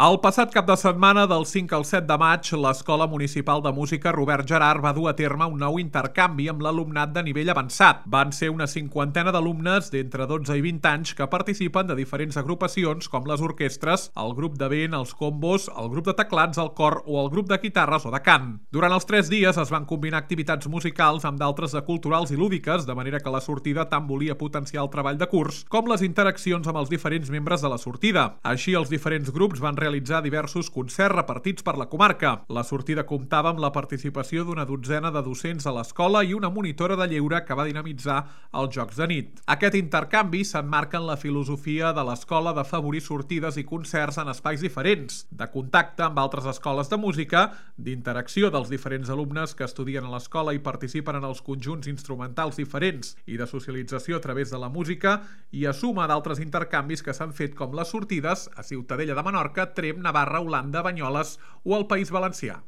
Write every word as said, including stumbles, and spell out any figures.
El passat cap de setmana, del cinc al set de maig, l'Escola Municipal de Música Robert Gerhard va dur a terme un nou intercanvi amb l'alumnat de nivell avançat. Van ser una cinquantena d'alumnes d'entre dotze i vint anys que participen de diferents agrupacions com les orquestres, el grup de vent, els combos, el grup de teclats, el cor o el grup de guitarres o de cant. Durant els tres dies es van combinar activitats musicals amb d'altres de culturals i lúdiques, de manera que la sortida tant volia potenciar el treball de curs com les interaccions amb els diferents membres de la sortida. Així, els diferents grups van realitzar diversos concerts repartits per la comarca. La sortida comptava amb la participació d'una dotzena de docents a l'escola i una monitora de lleure que va dinamitzar els jocs de nit. Aquest intercanvi s'emmarca en la filosofia de l'escola d'afavorir sortides i concerts en espais diferents, de contacte amb altres escoles de música, d'interacció dels diferents alumnes que estudien a l'escola i participen en els conjunts instrumentals diferents i de socialització a través de la música, i a suma d'altres intercanvis que s'han fet com les sortides a Ciutadella de Menorca, Tremp, Navarra, Holanda, Banyoles o el País Valencià.